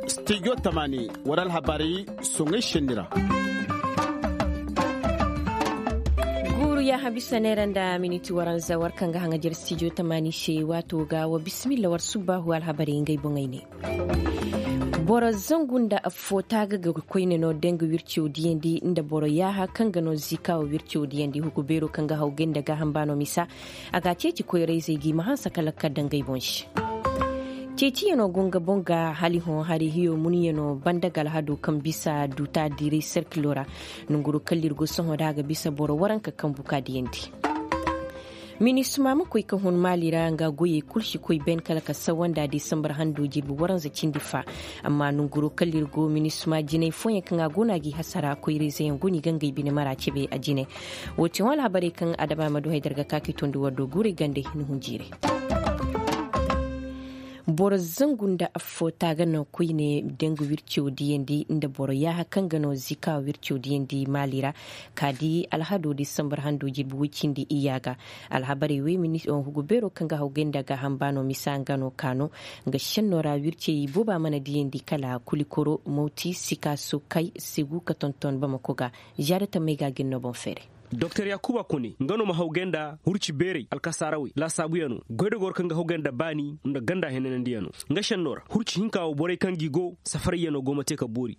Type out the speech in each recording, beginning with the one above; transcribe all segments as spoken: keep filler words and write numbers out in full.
Stijo tamaani war alhabaray soŋay senni ra. Guuru yaaha bisa neera nda miniti waranza war kaŋ ga haŋajer stijo tamaani se waato ga wa bisimilla war subbaahu alhabaray ngey boŋey ne. Boro zangu nda affoo taaga ga koyne no dengu wirciyo diyandi nda boro yaaha kaŋ ga no ziikaawo wirciyo diyandi hugu beero kaŋ ga haw gay nda gaaham baano misa. A ga a ceeci koyra-izey ga i ma hanse kala ka dangay boŋ se. Ceeciyanoo go nga boŋ ga hali hõ hari hiyo munyanoo banda ga alhado kaŋ bisa duuta diiray serkilo ra. Nanguroo kala ir go sohõ da a ga bisa boro waranka kaŋ buka diyandi. Minisma ma koy ka hun maali ra nga goyey kul si koy ben kala ka sawanda disambar hando jirbi waranza cindi fa. Amma nanguroo kala ir go minisma jinay fooyaŋ kaŋ a go no a g'i hasara koyra-izeyaŋ go no i ga ngey bine mara cebe a jine. Woo ti hõ alhabarey kaŋ adama ma du haydar ga ka k'i tondi war do guurey gande ni hun jiirey. Boro zangu nda affoo taaga no koyne dengu wirciyo diyandi nda boro yaaha kaŋ ga no ziikaawo wirciyo diyandi maali ra. Ka di alhado disambar hando jirbi woy cindi iyya ga. Alhabarey wey hugu beero kaŋ ga haw gay nda gaaham baano misa nga no ka no. Nga šennoo ra wircey booba mana diyandi kala kulikoro mawti sika sokay segu ka tonton bamako ga. Zaada tammey ga gin no boŋ feeray. Doktor yaakuba kone nga no ma haw gay nda hurci beerey alkasaarawey laasaabuyanoo goydogoo ra kaŋ ga haw gay nda baani nda ganda henanandiyanoo. Nga šennoo ra hurci hinka woo borey kaŋ gi go safarayyanoo go ma te ka boori.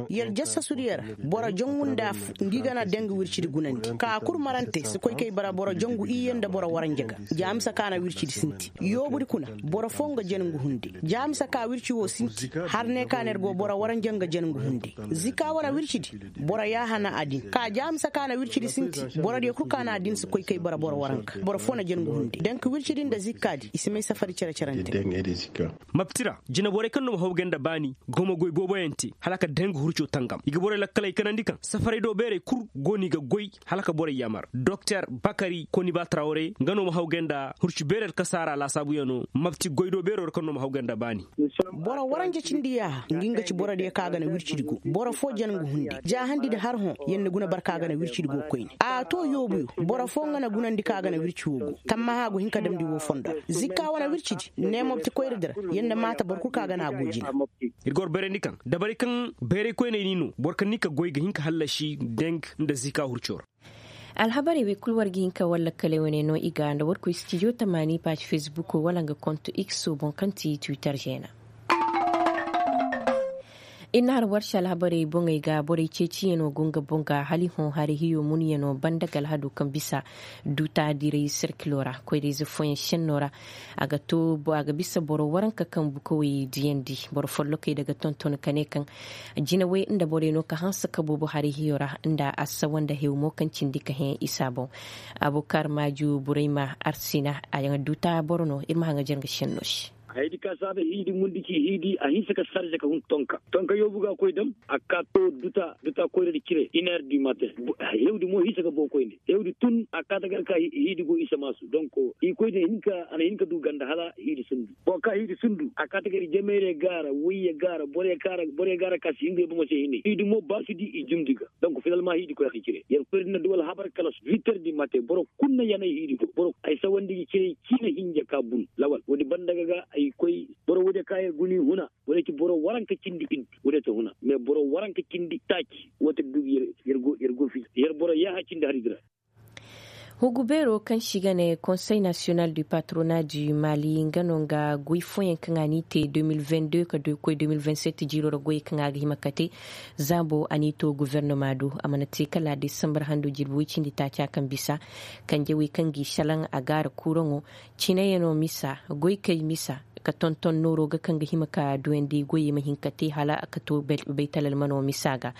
Yer jassasu diyo ra boro jangu nda affu ngi ga na dengu wircidi gunandi ka kul marante si koy kay bara boro jangu iyye nda boro waranja ga. Jaamisa ka na wircidi sinti yoobudi kuna boro foo nga jangu hunde. Jaamisa ka wirci woo sinti har ne ka na yer go boro waranja nga jangu hunde. Zika wane wircidi boro yaaha na a din ka jaamisa ka na wircidi sinti. Borodiyo kul ka na a din si koy kay bara boro waranka boro foo na jangu hunde dengu wircidi nda zikkaadi i si may safari cere-cere nte. Mapti ra jinaborey kaŋ no ma haw gay nda baani go ma goy booboyaŋ te hala ka dengu hurco tangam i ga borey lakkaley kanandi kaŋ safaray do beerey kul go no i ga goy hala ka borey yaamar doktor bakari koniba trawre nga no ma haw gay nda hurci beerey alkasaara laasaabuyanoo mapti goy do beeroo ra kaŋ no ma haw gay nda baani. Boro waranja cindi yaaha ngi nga ci borodiyo kaŋ a ga na wircidi go boro foo jangu hunde jaahandi nda har hõ yer na guna barka a ga na wircidi go koyne a to yoobuyo. Boro foo nga na gunandi kaŋ a ga na wirci woo go tammaha go hin ka damndi woo fondo ra zikka wane wircidi ne mopti koyradi ra. Yer na maata boro kul kaŋ a ga na a go jina. Ir ga war bayrandi kaŋ dabarey kaŋ bayray koyney ni no boro kaŋ ni ka goy ga hin ka hallasi deng nda zikka hurco ra. Alhabarey wey kul war ga hin ka war lakkaley wane no i ga nda war koy stijo tamaani paaji fesbuko wala nga konto ikso boŋ kaŋ ti twitter zeena. Ir na har war se alhabarey boŋey ga borey ceeciyanoo go nga boŋ ga hali hõ hari hiyo munyanoo banda ga alhado kaŋ bisa duuta diray serkilo ra koyra-ize fooyaŋ šennoo ra. A ga to a ga bisa boro waranka kaŋ bukawey diyandi boro follokey da ga tonton ka ne kaŋ jinawey nda borey no ka hanse ka boobo hari hiyo ra nda assawa nda hew mo kaŋ cindi ka hẽ isa boŋ. Abukar maaju burayma arsina a ga duuta boro no ir ma haŋajer nga šennoo se. Hayadi ka saabe hiidi mundi ci hiidi a hinse ka sarze ka hun tonka tonka yoobu ga koy dam a ka to duta duta koyradi cire iner di matin. Hewdi mo hinse ka boo koyne hewdi tun a ka ta gar ka hiidi go isa maasu donk i koy din hinka a na hinka du ganda hala hiidi sundu boro ka hiidi sundu a ka ta gar jamayre gaara woyye gaara boro ye gaara ka si hingay bomo se hine hiidi mo ba si di i jumdi ga. Donk finalma hiidi koy a ka cire yer koy din na duwal habar kala su viter di matin boro kul na yanay hiidi go boro ay sawandi ga cire ciina hinja ka bun lawal woodi banda ga ga ay koy boro woodiyo ka yer guni huna woodiyo ci boro waranka cindi iddu woodiyo ta huna mais boro waranka cindi taaci woo te du ga yer go yer go fi yer boro yaaha cindi hari dira. Hugu beeroo kaŋ se i ga ne konsey nasiyonal du patronat du mali nga no nga goy fooyaŋ kaŋ a n'i te deux mille vingt deux ka koy deux mille vingt sept jiiroo ra goyey kaŋ a ga hima ka te. Zaabo a n'i to gofornoma do a mana te kala desambar hando jirbi woy cindi taaca kaŋ bisa kanjawey kaŋ g'i salaŋ a gaara kuuraŋo. Cinayanoo misa goykey misa ka tonton nooroo ga kaŋ ga hima ka duyandi goyey ma hin ka te hala ka to baytalalmanoo misa ga.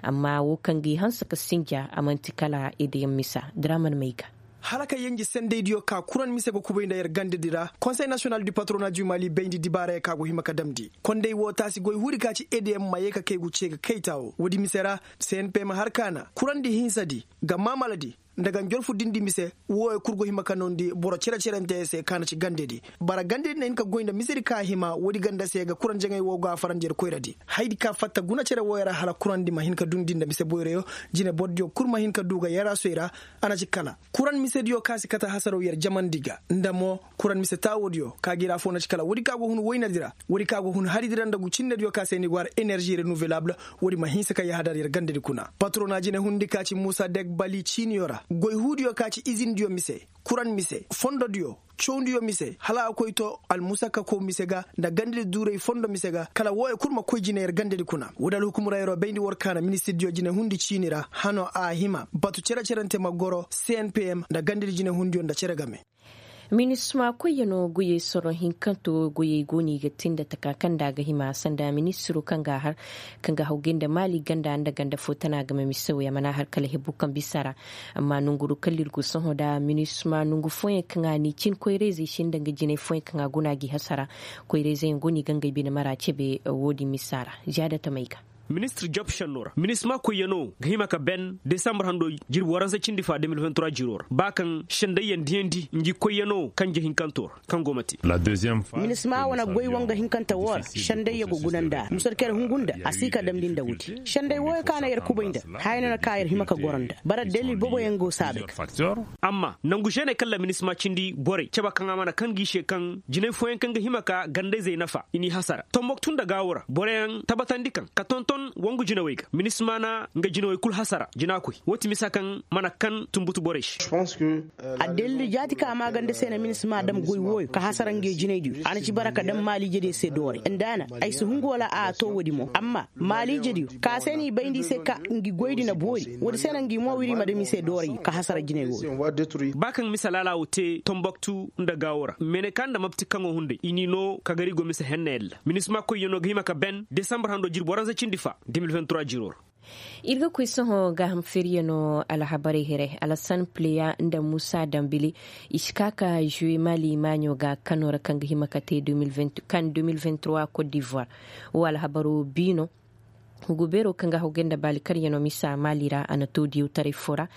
Amma woo kaŋ g'i hanse ka sinja a man'ti kala edeyaŋ misa diraman may ga. Hala ka yenje sendaydiyo ka kuran mise ga kubay nda yer gandadi ra konsey nasiyonal du patronat du mali bayndi dibaarayey ka go hima ka damndi konday woo taasi goy huudi ka ci edeyaŋ ma yee ka kay gu ce ga kayta woo woodi mise ra. Cnp ma har kaana kurandi hinsadi ga maamaladi. nda ga njorfu dindi mise. Wooyo kul go hima ka noondi boro cere-cerante se ka na ci gandedi. Bara gandedi na hin ka goy nda misedi ka hima woodi ganda se ga kuran jaŋay woo go a farandi yer koyradi. Hayadi ka fatta guna cere wooyo ra hala kurandi ma hin ka dundi nda mise boyroyo. Jine borodiyo kul ma hin ka du ga yaraasoy ra. A na ci kala kuran misediyo ka si kate hasaraw yer jamandi ga nda mo kuran mise taawodiyo ka ga ir afoo na ci kala woodi ka go hun woynadi ra. Woodi ka go hun haridi ra nda gu cinnediyo ka se ni go har enerži renouvelaabul. Woodi ma hinsa ka yahadar yer gandedi kuna patrona jine hundi ka ci muusa dek bali ciiniyo ra goy huudiyo ka ci izindiyo mise, kuran mise, fondodiyo, cawndiyo mise hala a koy to almusakkakow mise ga nda gandedi duuray fondo mise ga kala wooyo kul ma koy jine yer gandedi kuna woodi alhukumurayroo bayndi war ka na ministirdiyo jine hundi ciini ra hano a hima batu cere-cerante ma goro cnpm nda gandedi jine hundiyo nda cere game. Minisma koyyanoo goyey soro hinkanto goyey go no i ga te nda taka kaŋ nda a ga hima sanda ministiro kaŋ ga a har kaŋ ga hawgay nda maali ganda nda ganda fo tana game mise wey a mana har kala hebu kaŋ bisa ra. Amma nonguru kala ir go sohõ nda minisma nongu fooyaŋ kaŋ a n'i cin koyra-izey se nda nga jinay fooyaŋ kaŋ a guna gi hasara. Koyra-izey yaŋ go no i ga ngey bine mara cebe woodin misa ra. Ziyaada tamey ga. Ministir job šenno ra minisma koyyanoo ga hima ka ben desambur hando jirbi waransa cindi fa de mil vingt trois jiroo ra ba kaŋ šendayyaŋ diyandi ngi koyyanoo kanje hinkanto ra. Kaŋ go ma te. Minisma wane goy woo nga hinkante woo ra sendayya go guna nda a musarkey ra hungu nda a si ka damndi nda woodi senday wooyo ka na yer kubay nda haya no na ka yer hima ka goro nda bara dalil booboyaŋ go saabe ga. Amma nangu žene kaŋ ra minisma cindi borey cebe kaŋ a mana kaŋ gi se kaŋ jinay fooyaŋ kaŋ ga hima ka gandayzey nafa i n'i hasara tomboktu nda gaawo ra boroyaŋ tabatandi kaŋ ka tonton wangu jinawey ga minisma na nga jinawey kul hasara jina koy woo ti misa kaŋ mana kaŋ tunbutu borey se. Addalil jaati ka maaganda se na minisma dam goy wooyo ka hasara nge jinaydiyo a na ci bara ka dam maaliijediyo se dooray nda a na ay si hungu wala a too woodi mo amma maaliijediyo ka se no i bayndi i se ka ngi goydi na boori woodi se na ngi mo wiri i ma dam i se dooray ka hasara jinay wooyo. Ba kaŋ mise laala woo te tomboktu nda gaawo ra mene ka nda mapti kaŋo hunday i n'i noo ka gar i go mise henna yalla minisma koyyanoo ga hima ka ben desambur hando jirbi waransa cindi fa de mil vingt trois jiroo ra. Ir ga koy sohõ gaaham feeriyanoo alhabarey here alasan pleya nda muusa dambili i si ka ka žuwe maali maaɲo ga kano ra kaŋ ga hima ka te kan de mil vingt trois kot divoire. Wo alhabaroo biino hugu beeroo kaŋ ga hawgay nda baali karyanoo misa maali ra a na too diyawtaray foo ra.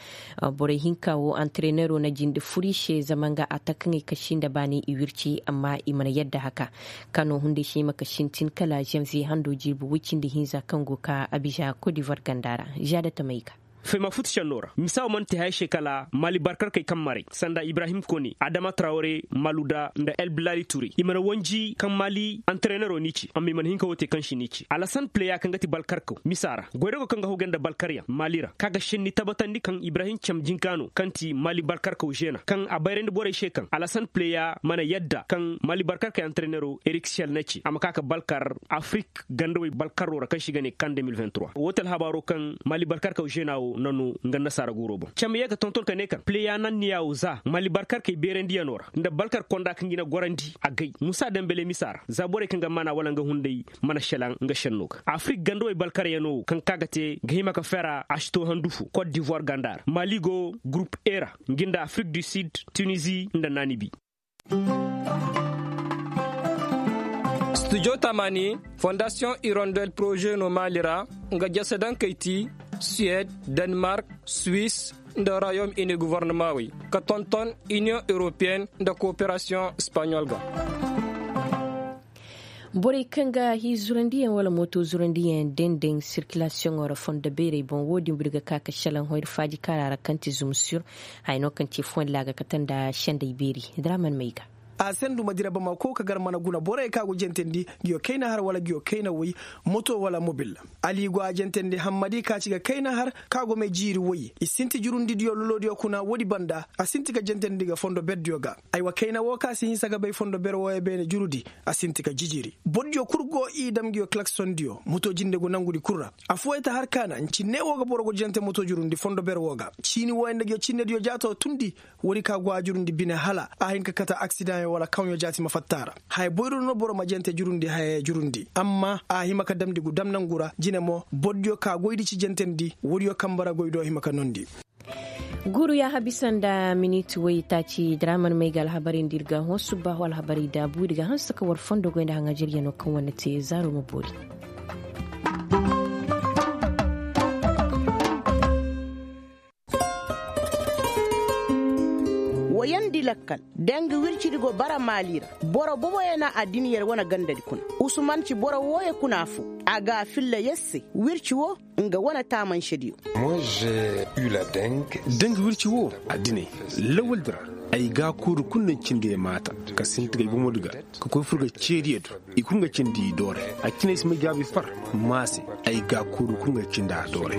Borey hinka wo antareneroo na jinde fur i se zama nga a ta kaŋey kasi nda baani i wirci amma i mana yadda haka. Kano hunday se i ma ka sintin kala zanviye hando jirbi woy cindi hinza kaŋ go ka abiza kodivar ganda ra. Žaada tamey ga. Fayma fut šennoo ra misa wo mana te haya se kala maali barkarkey kaŋ maray sanda ibrahim kone adama trawre maluda nda elbilali ture i mana wanji kaŋ maali antareneroo n'i ci amma i mana hin ka woo te kaŋ si n'i ci alasan pleya kaŋ ga ti balkarkaw misa ra goydago kaŋ ga hawgay nda balkaryaŋ maali ra ka ga senni tabatandi kaŋ ibrahim cam jinka no kaŋ ti maali balkarkaw žena kaŋ a bayrandi borey se kaŋ alasan pleya mana yadda kaŋ maali balkarkey antareneroo erik siyal na ci a ma ka ka balkar afrik gandawey balkaroo ra kaŋ se i ga ne kan de mil vingt trois woo ti alhabaaroo kaŋ maali balkarkaw žena woo na noo nga nasaara guuroo boŋ cam yee ga tonton ka ne kaŋ pleya nanniya woo za maali balkarkey beerandiyanoo ra nda balkar konda kaŋ ga i na gorandi a gay muusa dembele misa ra za borey kaŋ ga maana wala nga hunday mana šelaŋ nga šennoo ga afrik gandawey balkaryanoo woo kaŋ ka ga te ga hima ka fera a si too handu foo kot divoire ganda ra maali go gurup e ra ngi nda afrik du sid tunizi nda naanibi. Studio tamani fondasiyoŋ irondel poroze no maali ra nga jasadankey ti suwed, denmark, swis, nda royaume uni govornamaawey ka tonton iniyoŋ europeyen nda kooperasiyoŋ espaɲol ga. Borey kaŋ ga hii zurandiyaŋ wala mooto zurandiyaŋ dendeŋ sirkilasiyoŋo ra fondo beerey boŋ wo-din buri ga ka ka šelaŋ hoyri faaji kaara ra kaŋ ti zumsur. Haya no kaŋ ti fondo laaga kate nda sendey beeri draman may ga. A sendu ma dira bamako ka gar mana guna borey kaŋ a go jentandi, nguyo kayna har wala nguyo kayna woy, moto wala mobil. Ali go a jentandi hammadi ka ci ga kayna har kaŋ a go may jiiri woy i sinti jurundidiyo lolodiyo kuna woodi banda a sinti ka jentandi ga fondo berdiyo ga. Aywa kayna wo kaŋ a si hinsa ga bay fondo ber wooyo beene jurudi, a sinti ka jijiri bordiyo kul go i dam nguyo klaksondiyo moto jinde go nangudi kul ra. Affooyaŋ ta har kaana nci ne wo ga boro go jente moto jurundi fondo ber wo ga ciini wooyaŋ nda nguyo cinnediyo jaato tundi. Woodi ka go a jurundi bine hala a hin ka kate aksidaŋyaŋ wala kawɲo jaati ma fatta a ra. Haya boyro no boro ma jente jurundi haya jurundi amma a hima ka damndi gu dam nangu ra jine mo bordiyo ka goydi ci jentendi woodiyo kamba ra goy do hima ka noondi. Guuru yaaha bisa nda miniti woy taaci draman may ga alhabarey nda ir ga hõ subbaahu alhabarey daabu ir ga hanse ka war fondo goy nda haŋajeryanoo kaŋ wane te zaaro ma boori. Wayandi lakkal, danga wircidi go bara maali ra. Boro boboyaŋ na addiniyar wane gandadi kuna. Usuman ci boro wooyo kuna fo. A ga a filla yer se. Wirci wo, nga wane taamansediyo. Danga wirci wo, addiney, lawaldi ra, ay gaakuuru kulu na cindi ay maata, ka sinti ga ay bomodi ga, ka koy fur ga ceediyo do. I kulu ga cindi i doore. A cine ay si may gaabi far, maase, ay gaakuuru kulu ga cindi a doore.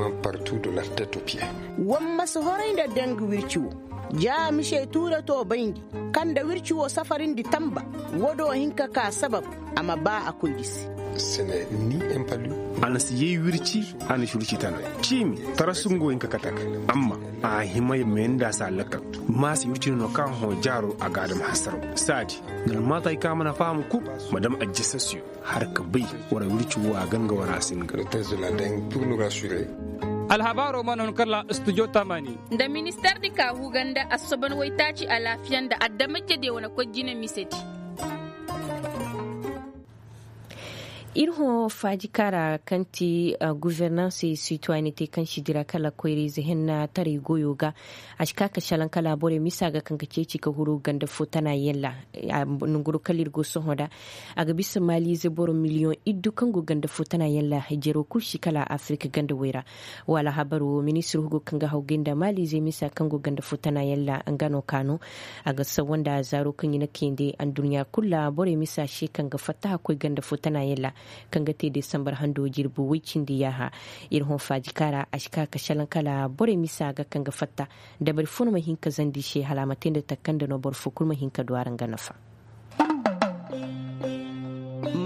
War ma si horay nda danga wirci wo. Ja mise tuura to bayndi, kaŋ nda wirci wo safarindi tamba. Wo do hin ka ka sabab, a ma ba a koy gisi. A na si yay wirci, a na si wirci tana ciimi, tarasu nga wo hin ka kate a ga. Amma a hima ya meenda si a lakkal. Maase wirci no no kaŋ hõ jaaro a ga a dam hasaraw. Saadi, nga na maata hay kaŋ a mana faham kul, ma dam ajjasasiyo. Har ka bay, war wirci wo a ganga war a singa. Alhabaaro mana hun kala studio tamani. Nda ministardi ka huga nda assoban waytaaci alaafiya nda adamajediyo wane koy jine misedi. Ir hõ faajikaara kaŋ ti guvernanse sitwayanite kaŋ si dira kala koyra-ize henna taray goyo ga. A si ka ka salaŋ kala borey misa ga kaŋ ga ceeci ka huru ganda fo tana yaŋ ra. Nanguru kala ir go sohõ nda a ga bisa maaliize boro miliyoŋ iddu kaŋ go ganda fo tana yaŋ ra. Jero kul si kala afirika ganda way ra. Wala habar wo ministir hugo kaŋ ga hawgay nda maaliize misa kaŋ go ganda fo tana yaŋ ra nga no kaanu. A ga sawa nda zaaro kaŋ i na kayandi anduɲɲa kul ra borey misa se kaŋ ga fattaha koy ganda fo tana yaŋ ra. Kaŋ ga te desambar hando jirbi way cindi yaaha. Ir hõ faajikaara a si ka ka salaŋ kala borey misa ga kaŋ ga fatta. Dabari fo no ma hin ka zandi se hala a ma te nda takanda no boro fo kul ma hin ka du a ra nga nafa.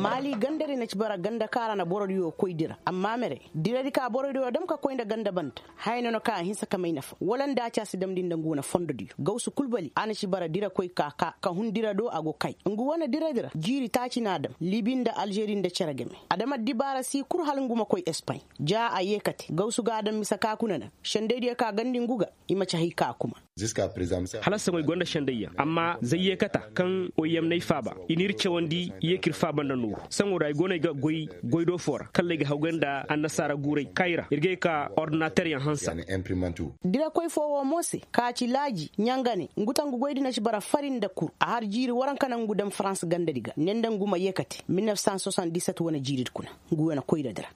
Maali gandari na ci bara ganda kaŋ a ra na borodiyo koy dira amma mere, diradi ka borodiyo dam ka koy nda ganda banda. Haya no no kaŋ a hinsa ka may nafa wala nda a ci a si damndi nda ngu wane fondodiyo gawsu kul bali a na ci bara dira koy ka ka ka hun dira do a go kay. Ngu wane diradi ra jiiri taaci no a dam libi nda alžeri nda cere game. A dam addibaara si kul hala ngu ma koy espaɲ. Ja a yeekate gawsu ga a dam mise ka kuna naŋ. Sendaydiyo ka gandi ngu ga i ma ci hay ka kuma. Hala saŋo i gonda sendayyaŋ amma zay yeekata kaŋ oyem n'ay faaba i n'ir cawandi. Yeekir faaba nda nooru saŋo ra i go no ay ga goy goy do fo ra kala ay ga hawgay nda annasaara guuray kaŋ ay ra ir ga ay ka ordinateryaŋ hansa. Dirakoy fo wo mo se ka ci laaji ɲangane ngu tangu goydi na ci bara fari nda kur a har jiiri waranka naŋ ngu daŋ farans gandadi ga ne nda ngu ma yeekate mil nef san soisant diset wane jiiridi kuna. Ngu wane koyradi ra.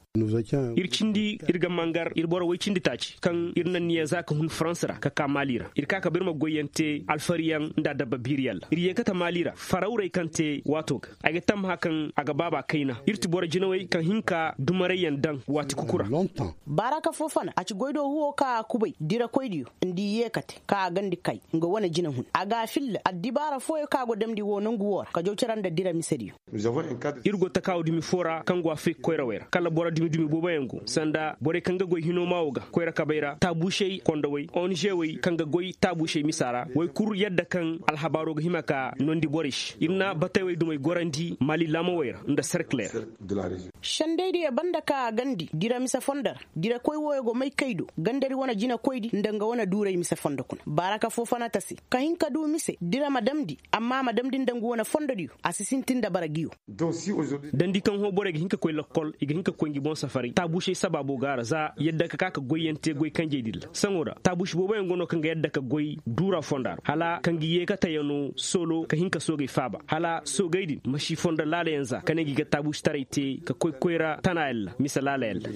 Ir cindi ir ga mangar ir boro woy cindi taaci kaŋ ir na niya za ka hun farans ra ka ka maali ra ir ka ka ba ir ma goyyaŋ te alfariyaŋ nda adabba biiriyaŋ ra ir yeekate maali ra farawrey kaŋ te waato ga. Ay ga tammaha kaŋ a ga baaba kayna ir ti boro jinawey kaŋ hin ka dumarayyaŋ daŋ waati kuku ra. Baaraka fo fana a ci goy do huwo ka a kubay dirakoydiyo nda i yeekate ka a gandi kay nga wane jina hun a ga a filla addibaara fooyo ka go damndi woo nongu woo ra ka jaw cere nda dira misediyo. Ir go takaawa dumi foo ra kaŋ go afirika koyrawey ra kala boro dumi dumi booboyaŋ go sanda borey kaŋ ga goy hinoo maa woo ga koyra kabey ra taabuusey kondowey ong wey kaŋ ga goy taabuusey misa ra woy kul yadda kaŋ alhabaaroo ga hima ka noondi borey se ir na batey wey dumey gorandi maali laamawey ra nda serkiley ra. Sendaydiyo banda ka a gandi dira mise fondo ra dirakoy wooyo go may kay do gandari wane jinakoydi nda nga wane duuray mise fondo kuna baaraka foo fana ta se ka hin ka du mise dira ma damndi amma a ma damndi nda ngu wane fondodiyo a si sintin nda bara ngiyo. Dandi kaŋ hõ borey ga hin ka koy lakkol i ga hin ka koy ngi boŋ safaray taabuusey sabaabo ga a ra za yadda ka ka ka goyyaŋ te goy kanjey din ra saŋo ra taabuusi booboyaŋ go no kaŋ ga yadda ka goy duura fonda ra hala ka ngi yeekatayaŋo soolo ka hin ka soogey faaba hala soogey din ma si fondo laalayaŋ za ka ne ngi ga taabuusitaray te ka koy koyra tanayaŋ ra mise laalayaŋ ra.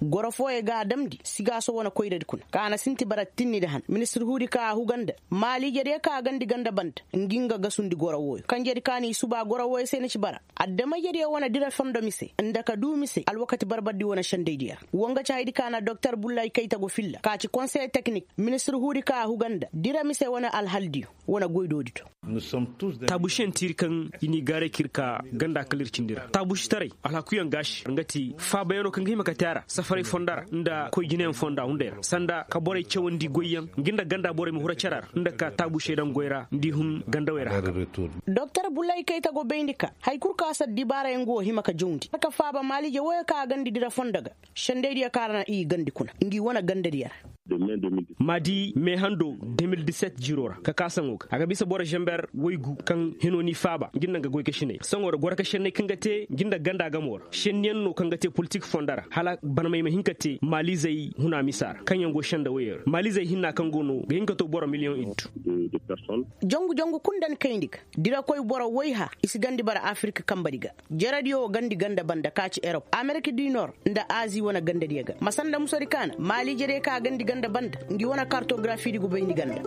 Goro fooyaŋ ga a damndi sigaaso wane koyradi kuna kaŋ a na sinti bara tinni nda han ministir huudi kaŋ a huga nda maaliijediyo kaŋ a gandi ganda banda ngi nga gasundi goro wooyo kanjedi kaŋ a n'i suba goro wooyo se na ci bara adama-ijediyo wane dira fondo mise nda ka du mise alwakati barbardi wane sendaydiyo ra wo nga ci hayadi kaŋ a na doktor bullay kayta go filla ka ci konseye teknik ministir huudi kaŋ a huga nda dira mise wane alhaldiyo wane goydoodi do. Taabuusiyaŋ ti ir kaŋ i n'i gaaray ka ir ka ganda kala ir cindi ra taabuusitaray alhakuyaŋ gaasi nga ti faabayaŋo kaŋ ga hima ka te a ra safaray fonda ra nda koy jinayaŋ fonda hunday ra sanda ka borey cawandi goyyaŋ ngi nda ganda borey ma hura cara ra nda ka taabuusey daŋ goy ra nda i hun gandawey ra haka. Doktor bullay kayta go bayndi ka hari kul kaŋ a si addibaarayaŋ go hima ka jawndi ka faaba maaliije wooyo kaŋ a gandi dira fondo ga sendaydiyo kaŋ a ra na i gandi kuna ngi wane gandadiyo ra. Ma di me hando de mil diset jiiro ra ka ka saŋo ga a ga bisa boro zamber waygu kaŋ hino n'i faaba ngi nda nga goy ka sinay saŋo ra goro ka senney kaŋ ga te ngi nda ganda gamo ra senniyaŋ no kaŋ ga te politik fondo ra hala barmey ma hin ka te maaliizey huna misa ra kaŋ yaŋ go senda woyey ra maaliizey hinna kaŋ go no ga hin ka to boro miliyoŋ iddu. Jongu jongu kul nda ni kayndi ga, dirakoy boro woyha i si gandi bara afirika kanbadi ga. Jerediyo wo gandi ganda banda ka ci erop amerika du nor nda azi wane gandadiyo ga ma sanda musadi kaana maali jerey ka gandi ganda banda. Ngi wane kartografidi go bayndi ganda.